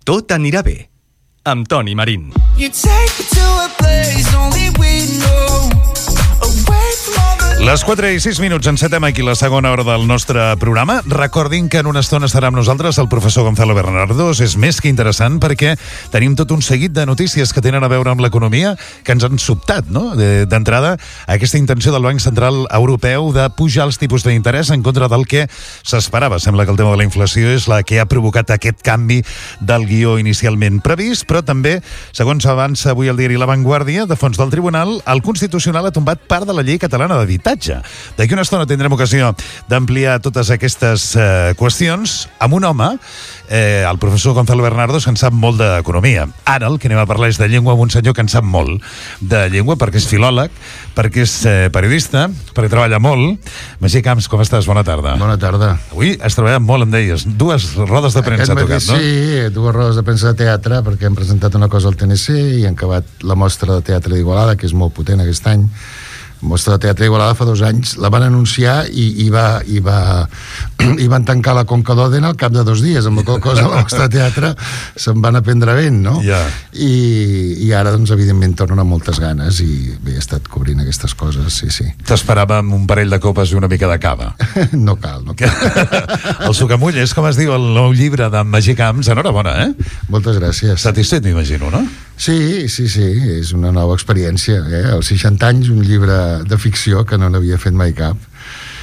Tot anirà bé, amb Toni Marín. Les 4:06, encetem aquí la segona hora del nostre programa. Recordin que en una estona estarà amb nosaltres el professor Gonzalo Bernardos. És més que interessant perquè tenim tot un seguit de notícies que tenen a veure amb l'economia que ens han sobtat, no? D'entrada, aquesta intenció del Banc Central Europeu de pujar els tipus d'interès en contra del que s'esperava. Sembla que el tema de la inflació és la que ha provocat aquest canvi del guió inicialment previst, però també, segons avança avui el diari La Vanguardia, de fons del Tribunal, el Constitucional ha tombat part de la llei catalana d'habitatge. D'aquí una estona tindrem ocasió d'ampliar totes aquestes qüestions amb un home, el professor Gonzalo Bernardos, que en sap molt d'economia. Ara el que anem a parlar és de llengua amb un senyor que en sap molt de llengua, perquè és filòleg, perquè és periodista, perquè treballa molt. Magí Camps, com estàs? Bona tarda. Bona tarda. Avui has treballat molt, em deies. 2 rodes de premsa ha tocat, no? Sí, 2 rodes de premsa de teatre, perquè hem presentat una cosa al TNC i hem acabat la mostra de teatre d'Igualada, que és molt potent aquest any. Mostra de teatre d'Igualada fa 2 anys, la van anunciar i van tancar la Conca d'Òdena al cap de 2 dies, amb la qual cosa la mostra de teatre se'n van aprendre vent, no? Yeah. I ara, doncs, evidentment, tornen amb moltes ganes i bé, he estat cobrint aquestes coses, sí. T'esperàvem un parell de copes i una mica de cava. No cal. El Sucamull és, com es diu, el nou llibre de Magí Camps. Enhorabona, Moltes gràcies. Satisfet, m'imagino, no? Sí, és una nova experiència, Als 60 anys, un llibre de ficció que no n'havia fet mai cap.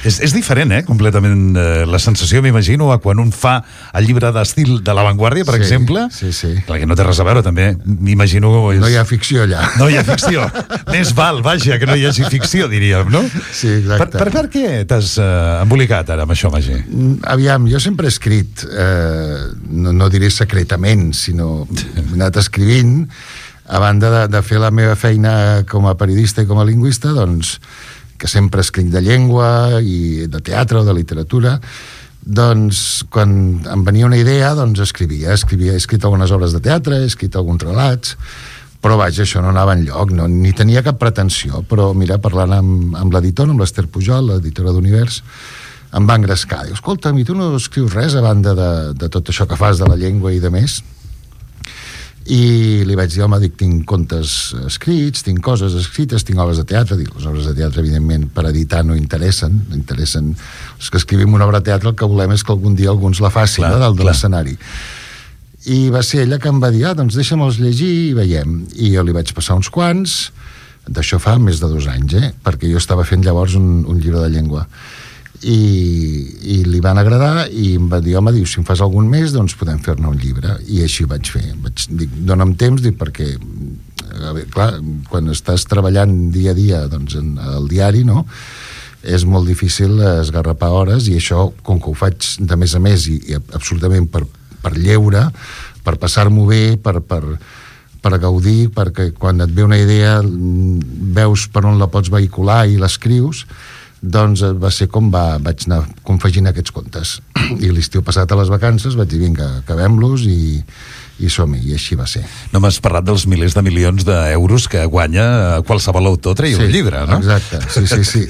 És diferent, completament la sensació, m'imagino, a quan un fa el llibre d'estil de La Vanguardia, per exemple. Sí. Clar, que no té res a veure, també, m'imagino... No hi ha ficció allà. No hi ha ficció. Més val, vaja, que no hi hagi ficció, diríem, no? Sí, exacte. Per què t'has embolicat ara amb això, Magí? Aviam, jo sempre he escrit, no diré secretament, sinó he anat escrivint, a banda de fer la meva feina com a periodista i com a lingüista, doncs, que sempre escric de llengua i de teatre o de literatura, doncs quan em venia una idea, doncs escrivia. He escrit algunes obres de teatre, he escrit alguns relats, però vaja, això no anava enlloc, ni tenia cap pretensió, però mira, parlant amb l'editor, amb l'Ester Pujol, l'editora d'Univers, em va engrescar. Diu, escolta'm, i tu no escrius res a banda de tot això que fas de la llengua i de més? I li vaig dir, home, tinc contes escrits, tinc coses escrites, tinc obres de teatre. Dic, les obres de teatre, evidentment, per editar no interessen. Els que escrivim una obra de teatre, el que volem és que algun dia alguns la facin, dalt de l'escenari. I va ser ella que em va dir, doncs deixa'm-els llegir i veiem. I jo li vaig passar uns quants, d'això fa més de 2 anys, perquè jo estava fent llavors un llibre de llengua. I li van agradar i em va dir, home, si em fas algun més, doncs podem fer-ne un llibre. I així ho vaig fer. Dic, dona'm temps, perquè clar, quan estàs treballant dia a dia doncs, al diari, no? És molt difícil esgarrapar hores, i això, com que ho faig de més a més i absolutament per lleure, per passar-m'ho bé, per gaudir, perquè quan et ve una idea veus per on la pots vehicular i l'escrius, doncs va ser com vaig anar confegint aquests contes. I l'estiu passat a les vacances vaig dir, vinga, acabem-los i som-hi, i així va ser. No m'has parlat dels milers de milions d'euros que guanya qualsevol autor traient un llibre, no? Exacte, sí.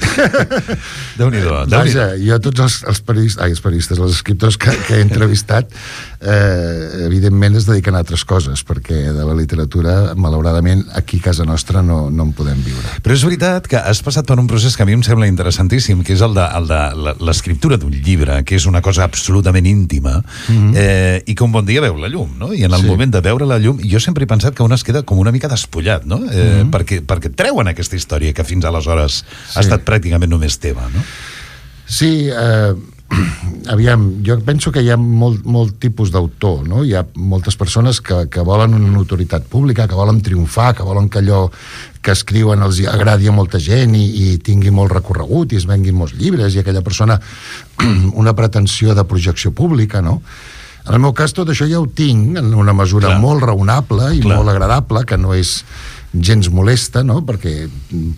Déu-n'hi-do. Vaja, jo tots els periodistes, els escriptors que he entrevistat, evidentment es dediquen a altres coses, perquè de la literatura, malauradament, aquí a casa nostra no en podem viure. Però és veritat que has passat per un procés que a mi em sembla interessantíssim, que és el de l'escriptura d'un llibre, que és una cosa absolutament íntima, i que un bon dia veu la llum, no? I en el moment de veure la llum, jo sempre he pensat que un es queda com una mica despullat, no? Perquè treuen aquesta història que fins aleshores ha estat pràcticament només teva, no? Sí, aviam, jo penso que hi ha molt tipus d'autor, no? Hi ha moltes persones que volen una notorietat pública, que volen triomfar, que volen que allò que escriuen els agradi a molta gent i tingui molt recorregut i es venguin molts llibres, i aquella persona una pretensió de projecció pública, no? En el meu cas tot això ja ho tinc en una mesura molt raonable i molt agradable, que no és gens molesta, no? Perquè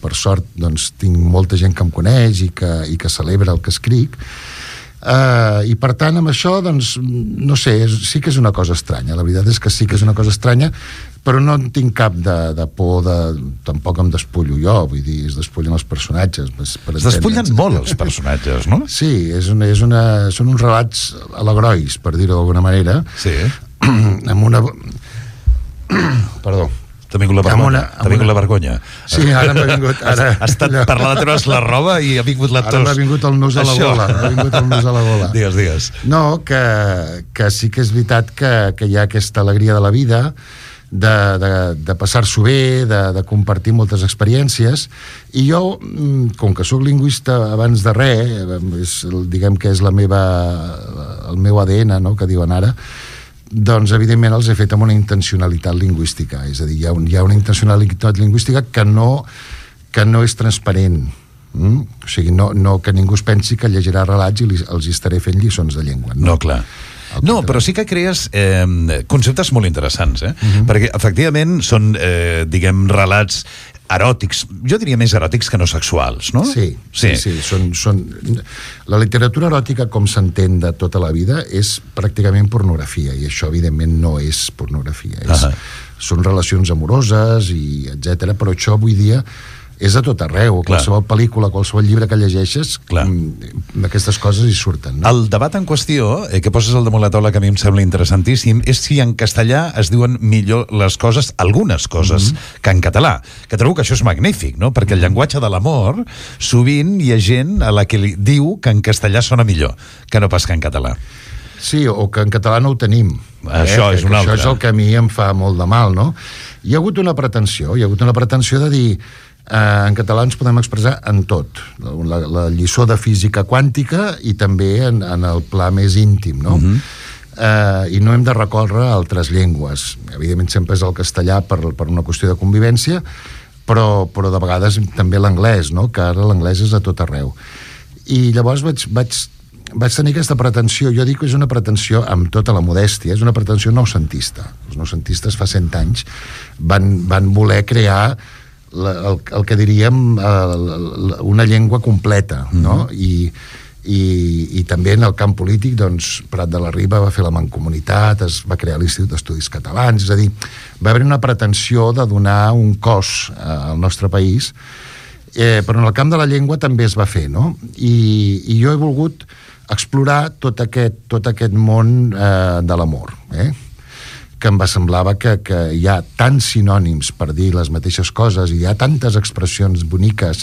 per sort doncs, tinc molta gent que em coneix i que celebra el que escric, i per tant amb això doncs, no sé, sí que és una cosa estranya, la veritat és que sí que és una cosa estranya, però no en tinc cap de por, tampoc em despullo jo, vull dir, es despullen els personatges. Es despullen molt els personatges, no? Sí, són uns relats alegrois, per dir-ho d'alguna manera, amb una... Perdó. T'ha vingut la vergonya. T'ha vingut la vergonya. Sí, ara m'ha vingut... Ara... Has estat parlant de treure's la roba i ha vingut la tos. Ara m'ha vingut el nus a la gola. M'ha vingut el nus a la gola. Digues. No, que sí que és veritat que hi ha aquesta alegria de la vida, de passar-s'ho bé, de compartir moltes experiències, i jo, com que sóc lingüista abans de res, diguem que és el meu ADN, no?, que diuen ara, doncs evidentment els he fet amb una intencionalitat lingüística, és a dir, hi ha una intencionalitat lingüística que no és transparent, o sigui, no que ningú es pensi que llegirà relats i els estaré fent lliçons de llengua. No, clar. No, però sí que crees conceptes molt interessants, perquè efectivament són, diguem, relats eròtics, jo diria més eròtics que no sexuals, no? Sí. Són... La literatura eròtica, com s'entén de tota la vida, és pràcticament pornografia, i això evidentment no és pornografia, són relacions amoroses i etc. Però això avui dia és a tot arreu, qualsevol pel·lícula, qualsevol llibre que llegeixes, aquestes coses hi surten, no? El debat en qüestió, que poses al damunt la taula, que a mi em sembla interessantíssim, és si en castellà es diuen millor les coses, algunes coses, que en català, que trobo que això és magnífic, no? Perquè el llenguatge de l'amor, sovint hi ha gent a la que li diu que en castellà sona millor que no pas que en català. Sí, o que en català no ho tenim. Això és un altre. Això és el que a mi em fa molt de mal, no? Hi ha hagut una pretensió de dir en català ens podem expressar en tot, la lliçó de física quàntica i també en el pla més íntim, no? I no hem de recórrer a altres llengües. Evidentment sempre és el castellà per una qüestió de convivència, però de vegades també l'anglès, no? Que ara l'anglès és a tot arreu. I llavors vaig tenir aquesta pretensió. Jo dic que és una pretensió amb tota la modèstia, és una pretensió noucentista. Els noucentistes fa 100 anys van voler crear el que diríem una llengua completa, no? I també en el camp polític, doncs, Prat de la Riba va fer la Mancomunitat, es va crear l'Institut d'Estudis Catalans, és a dir, va haver una pretensió de donar un cos al nostre país, però en el camp de la llengua també es va fer, no? I jo he volgut explorar tot aquest món de l'amor, que em va semblava que hi ha tants sinònims per dir les mateixes coses i hi ha tantes expressions boniques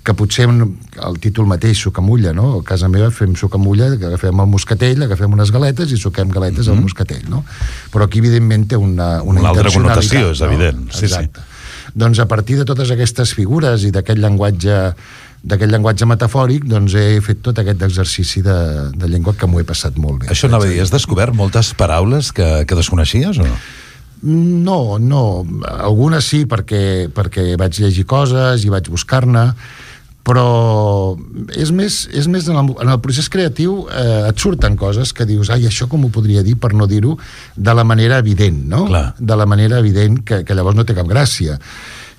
que potser el títol mateix, sucamulla, no? A casa meva fem sucamulla, agafem el moscatell, agafem unes galetes i suquem galetes al moscatell, no? Però aquí evidentment té una altra connotació, és evident. Exacte. Doncs a partir de totes aquestes figures i d'aquest llenguatge metafòric, doncs he fet tot aquest exercici de llengua que m'ho he passat molt bé. Això anava a dir, has descobert moltes paraules que desconeixies o no? No. Algunes sí, perquè vaig llegir coses i vaig buscar-ne, però és més en el procés creatiu et surten coses que dius, ai, això com ho podria dir per no dir-ho de la manera evident, no? Clar. De la manera evident que llavors no té cap gràcia.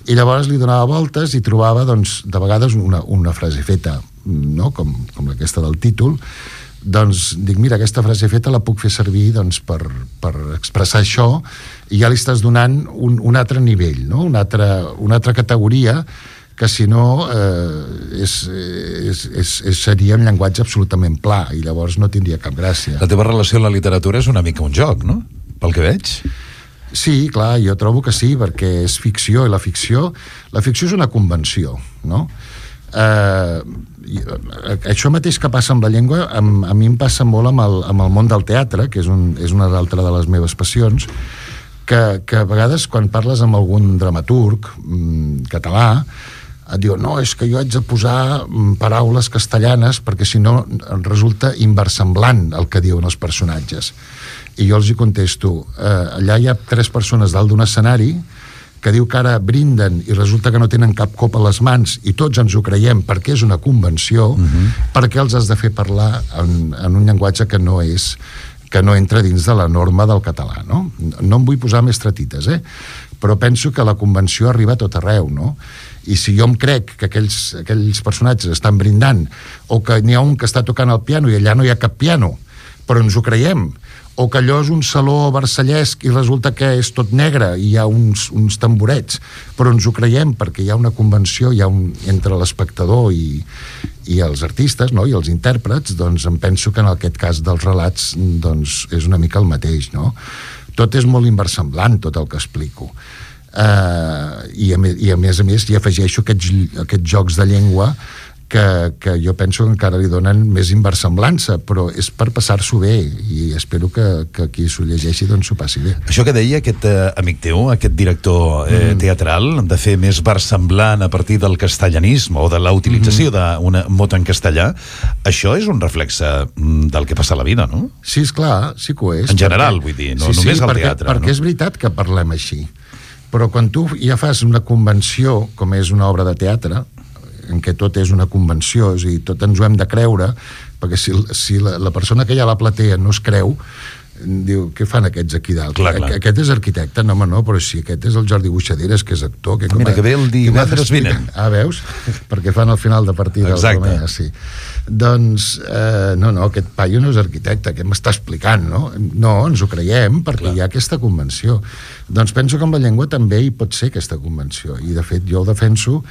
I llavors li donava voltes i trobava, doncs, de vegades una frase feta, no? Com aquesta del títol. Doncs dic, mira, aquesta frase feta la puc fer servir, doncs, per expressar això, i ja li estàs donant un altre nivell, no? Una altra categoria que si no seria un llenguatge absolutament pla i llavors no tindria cap gràcia. La teva relació amb la literatura és una mica un joc, no? Pel que veig. Sí, clar, jo trobo que sí, perquè és ficció, i la ficció és una convenció, no? Això mateix que passa amb la llengua, a mi em passa molt amb el món del teatre, que és una altra de les meves passions, que a vegades quan parles amb algun dramaturg català et diu, no, és que jo haig de posar paraules castellanes perquè si no resulta inversemblant el que diuen els personatges. I jo els hi contesto, allà hi ha 3 persones dalt d'un escenari que diu que ara brinden i resulta que no tenen cap cop a les mans i tots ens ho creiem perquè és una convenció, perquè els has de fer parlar en un llenguatge que no entra dins de la norma del català, no? No em vull posar més tretites, però penso que la convenció arriba a tot arreu, no? I si jo em crec que aquells personatges estan brindant, o que n'hi ha un que està tocant el piano i allà no hi ha cap piano, però ens ho creiem, o que allò és un saló versallesc i resulta que és tot negre i hi ha uns tamborets, però ens ho creiem perquè hi ha una convenció, entre l'espectador i els artistes, no? I els intèrprets, doncs em penso que en aquest cas dels relats doncs és una mica el mateix, no? Tot és molt inversemblant, tot el que explico. I a més hi afegeixo aquests jocs de llengua que jo penso que encara li donen més inversemblança, però és per passar-s'ho bé i espero que qui s'ho llegeixi doncs s'ho passi bé. Això que deia aquest amic teu, aquest director teatral, de fer més versemblant a partir del castellanisme o de la utilització d'un mot en castellà, això és un reflexe del que passa a la vida, no? Sí, esclar, sí que ho és. En general, vull dir, no només al teatre. Perquè és veritat que parlem així, però quan tu ja fas una convenció, com és una obra de teatre, en què tot és una convenció, és a dir, tot ens ho hem de creure, perquè si la persona que hi ha a la platea no es creu, diu, què fan aquests aquí dalt? Clar. Aquest és arquitecte? No, home, no, però si aquest és el Jordi Buixaderes, que és actor... Mira, que ve el divendres vinent. Veus? Perquè fan el final de partida. Exacte. Sí. Doncs, no, aquest paio no és arquitecte, què m'està explicant, no? No, ens ho creiem, perquè hi ha aquesta convenció. Doncs penso que amb la llengua també hi pot ser aquesta convenció, i de fet jo ho defenso,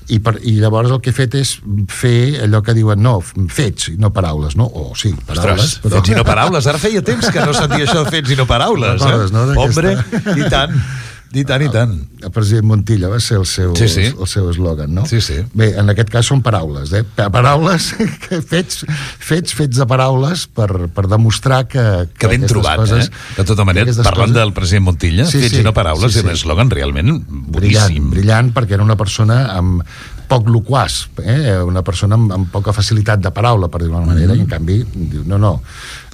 i llavors el que he fet és fer allò que diuen, no, fets i no paraules, no? O sí, paraules. Ostres, fets i no paraules. Ara feia temps que no sentia això de fets i no paraules. No, hombre, i tant. I tant. El president Montilla va ser el seu eslògan, no? Sí. Bé, en aquest cas són paraules, Paraules, fets de paraules per demostrar que ben trobat, coses, De tota manera, parlant del president Montilla, fets i no paraules, és un eslògan realment boníssim. Brillant, perquè era una persona amb poc loquaç, una persona amb poca facilitat de paraula, per dir-ho d'una manera, i en canvi diu, no,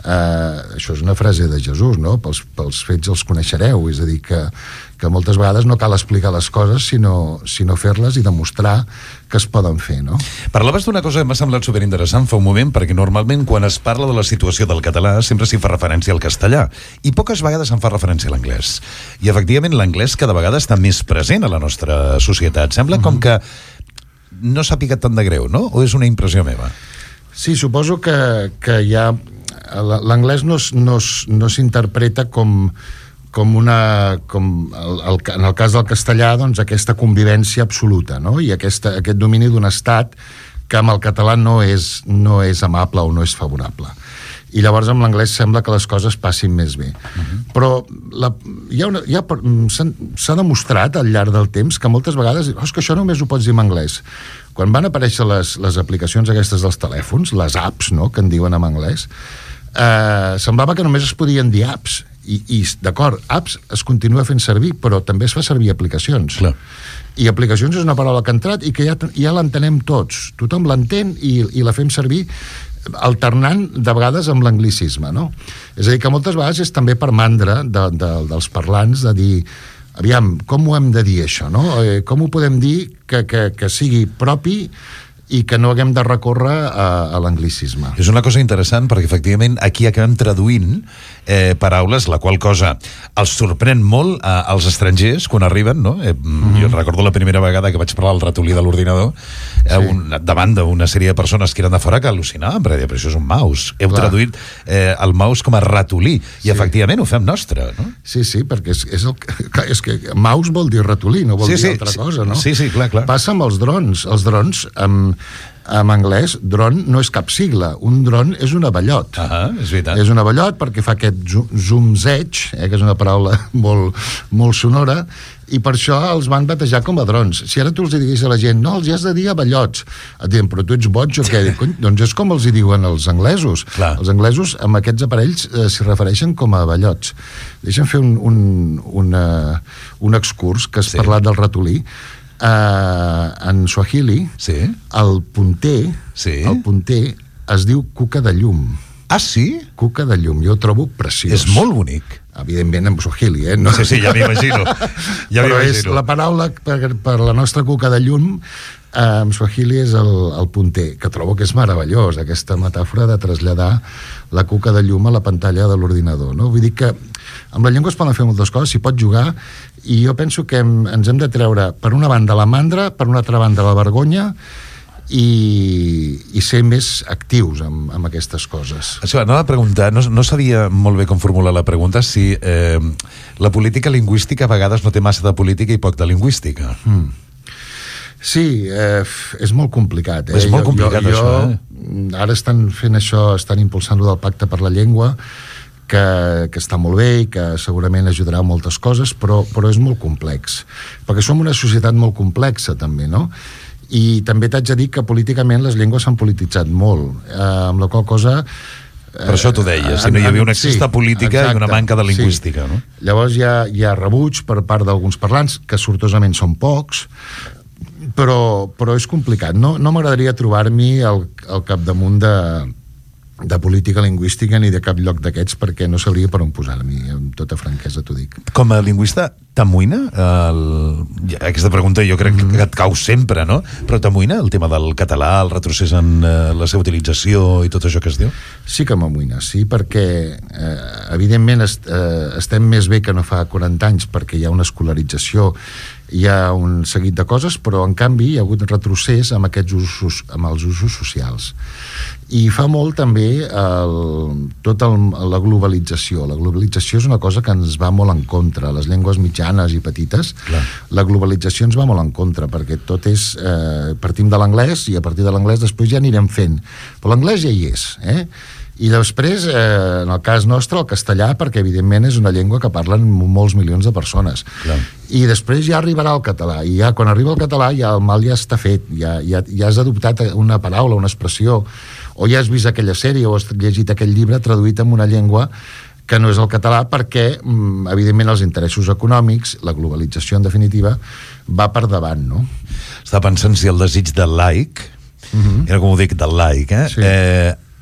això és una frase de Jesús, no? Pels fets els coneixereu, és a dir, que moltes vegades no cal explicar les coses, sinó fer-les i demostrar que es poden fer, no? Parlaves d'una cosa que m'ha semblat superinteressant fa un moment, perquè normalment quan es parla de la situació del català sempre s'hi fa referència al castellà, i poques vegades se'n fa referència a l'anglès. I efectivament l'anglès cada vegada està més present a la nostra societat. Sembla com que no s'ha picat tant de greu, no? O és una impressió meva? Sí, suposo que ja l'anglès no s'interpreta com en el cas del castellà, doncs aquesta convivència absoluta, no? I aquest domini d'un estat que amb el català no és amable o no és favorable. I llavors amb l'anglès sembla que les coses passin més bé. Però s'ha demostrat al llarg del temps que moltes vegades és que això només ho pots dir en anglès. Quan van aparèixer les aplicacions aquestes dels telèfons, les apps, no?, que en diuen en anglès, semblava que només es podien dir apps. I d'acord, apps es continua fent servir, però també es fa servir aplicacions. Clar. I aplicacions és una paraula que ha entrat i que ja l'entenem tots. Tothom l'entén i la fem servir alternant de vegades amb l'anglicisme, no? És a dir, que moltes vegades és també per mandra dels parlants de dir, aviam, com ho hem de dir això, no? Com ho podem dir que sigui propi i que no haguem de recórrer a l'anglicisme. És una cosa interessant perquè efectivament aquí acabem traduint paraules, la qual cosa els sorprèn molt als estrangers quan arriben, no? Jo recordo la primera vegada que vaig parlar al ratolí de l'ordinador davant d'una sèrie de persones que eren de fora que al·lucinaven, perquè això és un mouse. Heu traduït el mouse com a ratolí i efectivament ho fem nostre, no? Sí, perquè és que mouse vol dir ratolí, no vol dir altra cosa, no? Sí, clar. Passa amb els drons. Els drons, en anglès, dron no és cap sigla. Un dron és un abellot. És veritat. És un abellot perquè fa aquest zumzeig, que és una paraula molt, molt sonora, i per això els van batejar com a drons. Si ara tu els diguis a la gent, no, els has de dir abellots, et diuen, però tu ets boig o què? Doncs és com els hi diuen els anglesos. Clar. Els anglesos amb aquests aparells s'hi refereixen com a abellots. Deixa'm fer un excurs que has parlat del ratolí. En Swahili, el punter es diu cuca de llum. Ah, sí? Cuca de llum, jo ho trobo preciós. És molt bonic. Evidentment en Swahili, no? Sí, ja m'imagino. Però és la paraula per la nostra cuca de llum en Swahili és el punter, que trobo que és meravellós, aquesta metàfora de traslladar la cuca de llum a la pantalla de l'ordinador, no? Vull dir que amb la llengua es poden fer moltes coses, s'hi pot jugar, i jo penso que ens hem de treure, per una banda, la mandra, per una altra banda, la vergonya, i ser més actius amb aquestes coses. Això, anava a preguntar, no sabia molt bé com formular la pregunta, si la política lingüística a vegades no té massa de política i poc de lingüística. Sí, és molt complicat. És molt complicat, això. Ara estan fent això, estan impulsant-lo del Pacte per la Llengua, que està molt bé i que segurament ajudarà a moltes coses, però és molt complex. Perquè som una societat molt complexa, també, no? I també t'haig de dir que políticament les llengües s'han polititzat molt, amb la qual cosa... Per això t'ho deia, si no hi havia un excés de política i una manca de lingüística, no? Llavors hi ha rebuig per part d'alguns parlants, que sortosament són pocs, però és complicat. No m'agradaria trobar-m'hi al capdamunt de política lingüística ni de cap lloc d'aquests, perquè no sabria per on posar-m'hi, amb tota franquesa t'ho dic. Com a lingüista, t'amoïna? Aquesta pregunta jo crec que et cau sempre, no? Però t'amoïna el tema del català, el retrocés en la seva utilització i tot això que es diu? Sí que m'amoïna, sí, perquè evidentment estem més bé que no fa 40 anys, perquè hi ha una escolarització, hi ha un seguit de coses, però en canvi hi ha hagut retrocés amb aquests usos, amb els usos socials. I fa molt també la globalització. La globalització és una cosa que ens va molt en contra. Les llengües mitjanes i petites, clar, la globalització ens va molt en contra, perquè tot és... partim de l'anglès i a partir de l'anglès després ja anirem fent. Però l'anglès ja hi és, I després, en el cas nostre, el castellà, perquè evidentment és una llengua que parlen molts milions de persones. Clar. I després ja arribarà el català, i ja quan arriba el català ja el mal ja està fet, ja has adoptat una paraula, una expressió, o ja has vist aquella sèrie o has llegit aquell llibre traduït en una llengua que no és el català, perquè evidentment els interessos econòmics, la globalització en definitiva, va per davant, no? Estava pensant si el desig del laic, era com ho dic, del laic, Sí.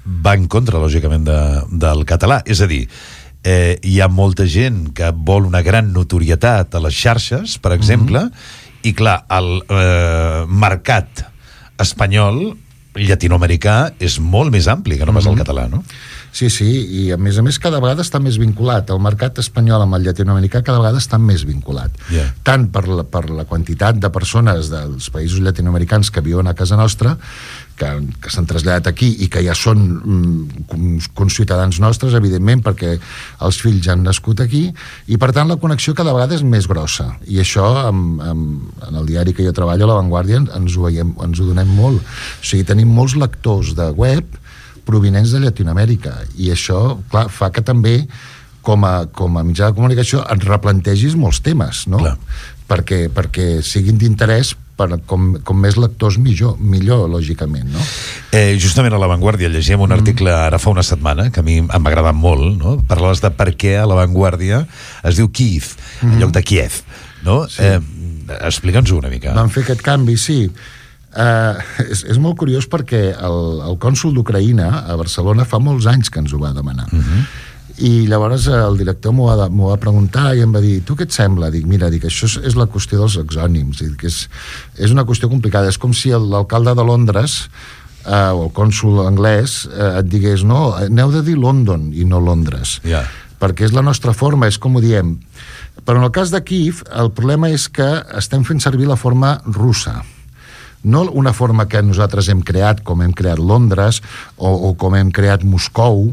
Va en contra, lògicament, del català. És a dir, hi ha molta gent que vol una gran notorietat a les xarxes, per exemple, i clar, el mercat espanyol, llatinoamericà, és molt més ampli que no pas el català, no? Sí, i a més cada vegada està més vinculat. El mercat espanyol amb el llatinoamericà cada vegada està més vinculat. Yeah. Tant per la quantitat de persones dels països llatinoamericans que viuen a casa nostra, que s'han traslladat aquí i que ja són conciutadans nostres, evidentment, perquè els fills han nascut aquí, i per tant la connexió cada vegada és més grossa. I això, en el diari que jo treballo, a La Vanguardia, ens ho donem molt. O sigui, tenim molts lectors de web provinents de Llatinoamèrica, i això, clar, fa que també com a mitjà de comunicació et replantegis molts temes, no? Clar. Perquè siguin d'interès com més lectors millor, lògicament, no? Justament a La Vanguardia llegíem un article ara fa una setmana que a mi em va agradar molt, no? Parlaves de per què a La Vanguardia es diu Kyiv en lloc de Kiev, no? Sí. Explica'ns-ho una mica. Van fer aquest canvi, sí. És molt curiós perquè el cònsol d'Ucraïna a Barcelona fa molts anys que ens ho va demanar. I llavors el director m'ho va preguntar i em va dir, tu què et sembla? Dic, mira, això és la qüestió dels exònims, que és una qüestió complicada. És com si l'alcalde de Londres o el cònsol anglès et digués, no, aneu de dir London i no Londres, perquè és la nostra forma, és com ho diem. Però en el cas de Kyiv el problema és que estem fent servir la forma russa, no una forma que nosaltres hem creat, com hem creat Londres o com hem creat Moscou,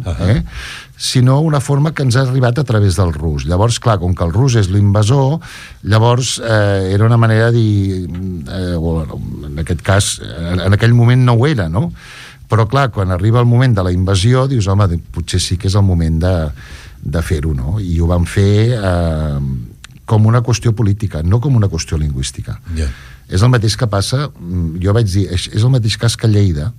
sinó una forma que ens ha arribat a través del rus. Llavors, clar, com que el rus és l'invasor, llavors era una manera de dir, en aquest cas, en aquell moment no ho era, no? Però clar, quan arriba el moment de la invasió, dius, home, potser sí que és el moment de fer-ho, no? I ho van fer com una qüestió política, no com una qüestió lingüística. És el mateix que passa, jo vaig dir, és el mateix cas que Lleida,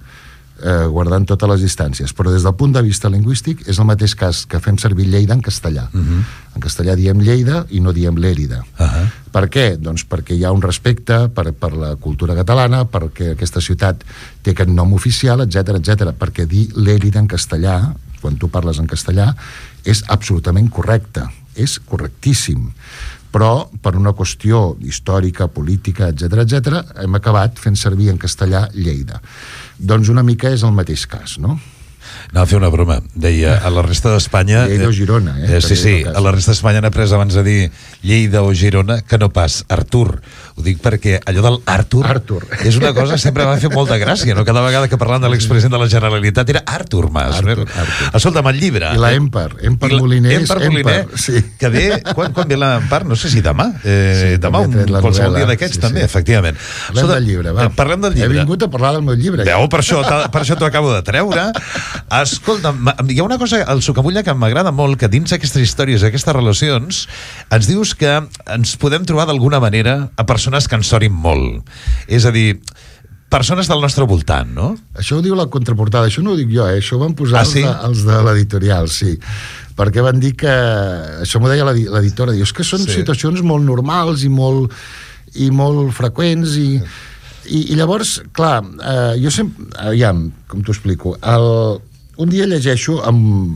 guardant totes les distàncies, però des del punt de vista lingüístic és el mateix cas que fem servir Lleida en castellà. En castellà diem Lleida i no diem Lérida. Per què? Doncs perquè hi ha un respecte per la cultura catalana, perquè aquesta ciutat té aquest nom oficial, etc, perquè dir Lérida en castellà, quan tu parles en castellà, és absolutament correcte, és correctíssim. Però per una qüestió històrica, política, etc, hem acabat fent servir en castellà Lleida. Doncs una mica és el mateix cas, no? Anava a fer una broma. Deia, a la resta d'Espanya... Lleida o Girona, Sí, a la resta d'Espanya han après abans de dir Lleida o Girona que no pas Artur. Ho dic perquè allò del Artur és una cosa que sempre m'ha fet molta gràcia, no? Cada vegada que parlant de l'expresident de la Generalitat era Artur Mas. Artur. Escolta'm, el llibre... I la Empar Moliner. Sí. Que ve... Quan ve l'Empar? No sé si demà. Demà, qualsevol dia d'aquests, també, efectivament. Parlem del llibre, va. Parlem del llibre. He vingut a parlar del meu llibre. Per això t'ho acabo de treure. Escolta, hi ha una cosa al Sucamulla que m'agrada molt, que dins aquestes històries, aquestes relacions, ens dius que ens podem trobar d'alguna manera a persones que ens sonin molt. És a dir, persones del nostre voltant, no? Això ho diu la contraportada, això no ho dic jo, això ho van posar els de l'editorial, sí. Perquè van dir que... Això m'ho deia l'editora, diu, és que són situacions molt normals i molt freqüents i llavors, clar, jo sempre... Aviam, com t'ho explico, un dia llegeixo,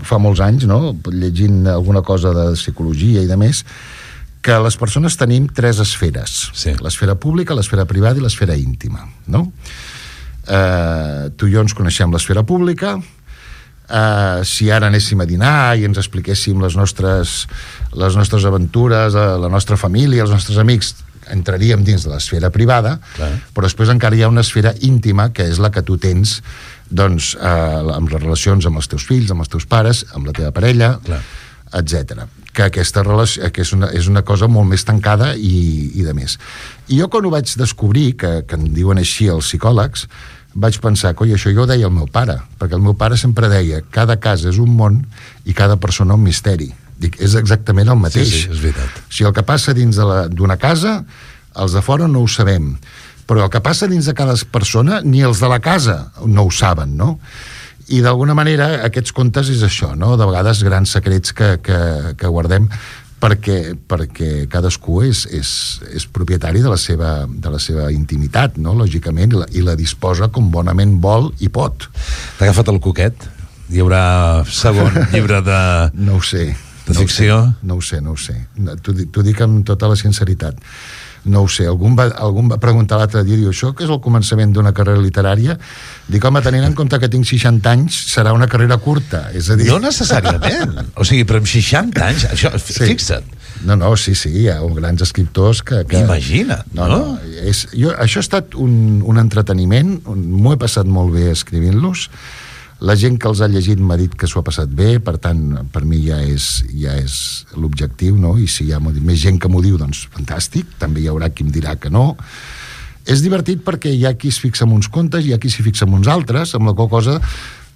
fa molts anys, no?, llegint alguna cosa de psicologia i de més, que les persones tenim 3 esferes. Sí. L'esfera pública, l'esfera privada i l'esfera íntima, no? Tu i jo ens coneixem l'esfera pública. Si ara anéssim a dinar i ens expliquéssim les nostres aventures, la nostra família, els nostres amics, entraríem dins de l'esfera privada. Clar. Però després encara hi ha una esfera íntima, que és la que tu tens, doncs, amb les relacions amb els teus fills, amb els teus pares, amb la teva parella, etc. Que aquesta relació és una cosa molt més tancada i de més. I jo, quan ho vaig descobrir, que en diuen així els psicòlegs, vaig pensar, coi, això jo ho deia el meu pare, perquè el meu pare sempre deia, cada casa és un món i cada persona un misteri. Dic, és exactament el mateix. Sí, és veritat. O sigui, el que passa dins d'una casa, els de fora no ho sabem, però el que passa dins de cada persona, ni els de la casa no ho saben, no? I d'alguna manera aquests contes és això, no? De vegades grans secrets que guardem perquè cadascú és propietari de la seva intimitat, no? Lògicament, i la disposa com bonament vol i pot. T'ha agafat el coquet? Hi haurà segon llibre de... No ho sé. De ficció? No ho sé. T'ho dic amb tota la sinceritat. No ho sé, algú em va preguntar l'altre dia, diu, això que és el començament d'una carrera literària? Dic, home, tenint en compte que tinc 60 anys, serà una carrera curta, és a dir... No necessàriament, o sigui, però amb 60 anys, això, fixa't. No, sí, hi ha grans escriptors que... Imagina't, no? Això ha estat un entreteniment, m'ho he passat molt bé escrivint-los. La gent que els ha llegit m'ha dit que s'ho ha passat bé, per tant, per mi ja és l'objectiu, no? I si hi ha més gent que m'ho diu, doncs fantàstic, també hi haurà qui em dirà que no. És divertit perquè hi ha qui es fixa en uns contes, hi ha qui s'hi fixa en uns altres, amb la qual cosa,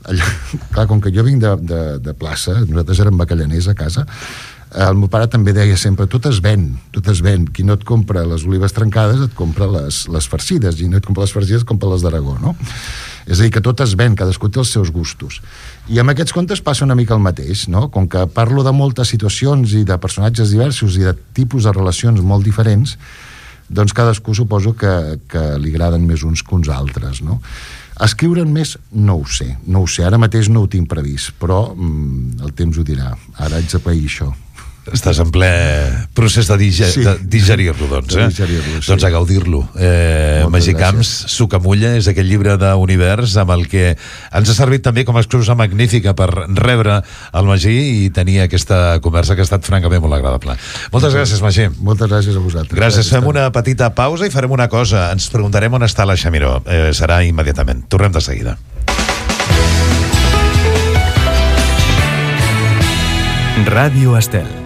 clar, com que jo vinc de plaça, nosaltres érem bacallaners a casa, el meu pare també deia sempre, tot es ven, qui no et compra les olives trencades et compra les farcides, i no et compra les farcides et compra les d'Aragó, no? És a dir, que tot es ven, cadascú té els seus gustos. I amb aquests contes passa una mica el mateix, no? Com que parlo de moltes situacions i de personatges diversos i de tipus de relacions molt diferents, doncs cadascú suposo que li agraden més uns que uns altres, no? Escriure'n més, no ho sé. Ara mateix no ho tinc previst, però el temps ho dirà. Ara haig de pair això. Estàs en ple procés de digerir-lo, doncs. Doncs a gaudir-lo. Magí Camps, Sucamulla, és aquell llibre d'univers amb el que ens ha servit també com a excusa magnífica per rebre el Magí i tenir aquesta conversa que ha estat francament molt agradable. Moltes gràcies, Magí. Moltes gràcies a vosaltres. Gràcies. Fem una petita pausa i farem una cosa. Ens preguntarem on està la Xamiró. Serà immediatament. Tornem de seguida. Ràdio Estel.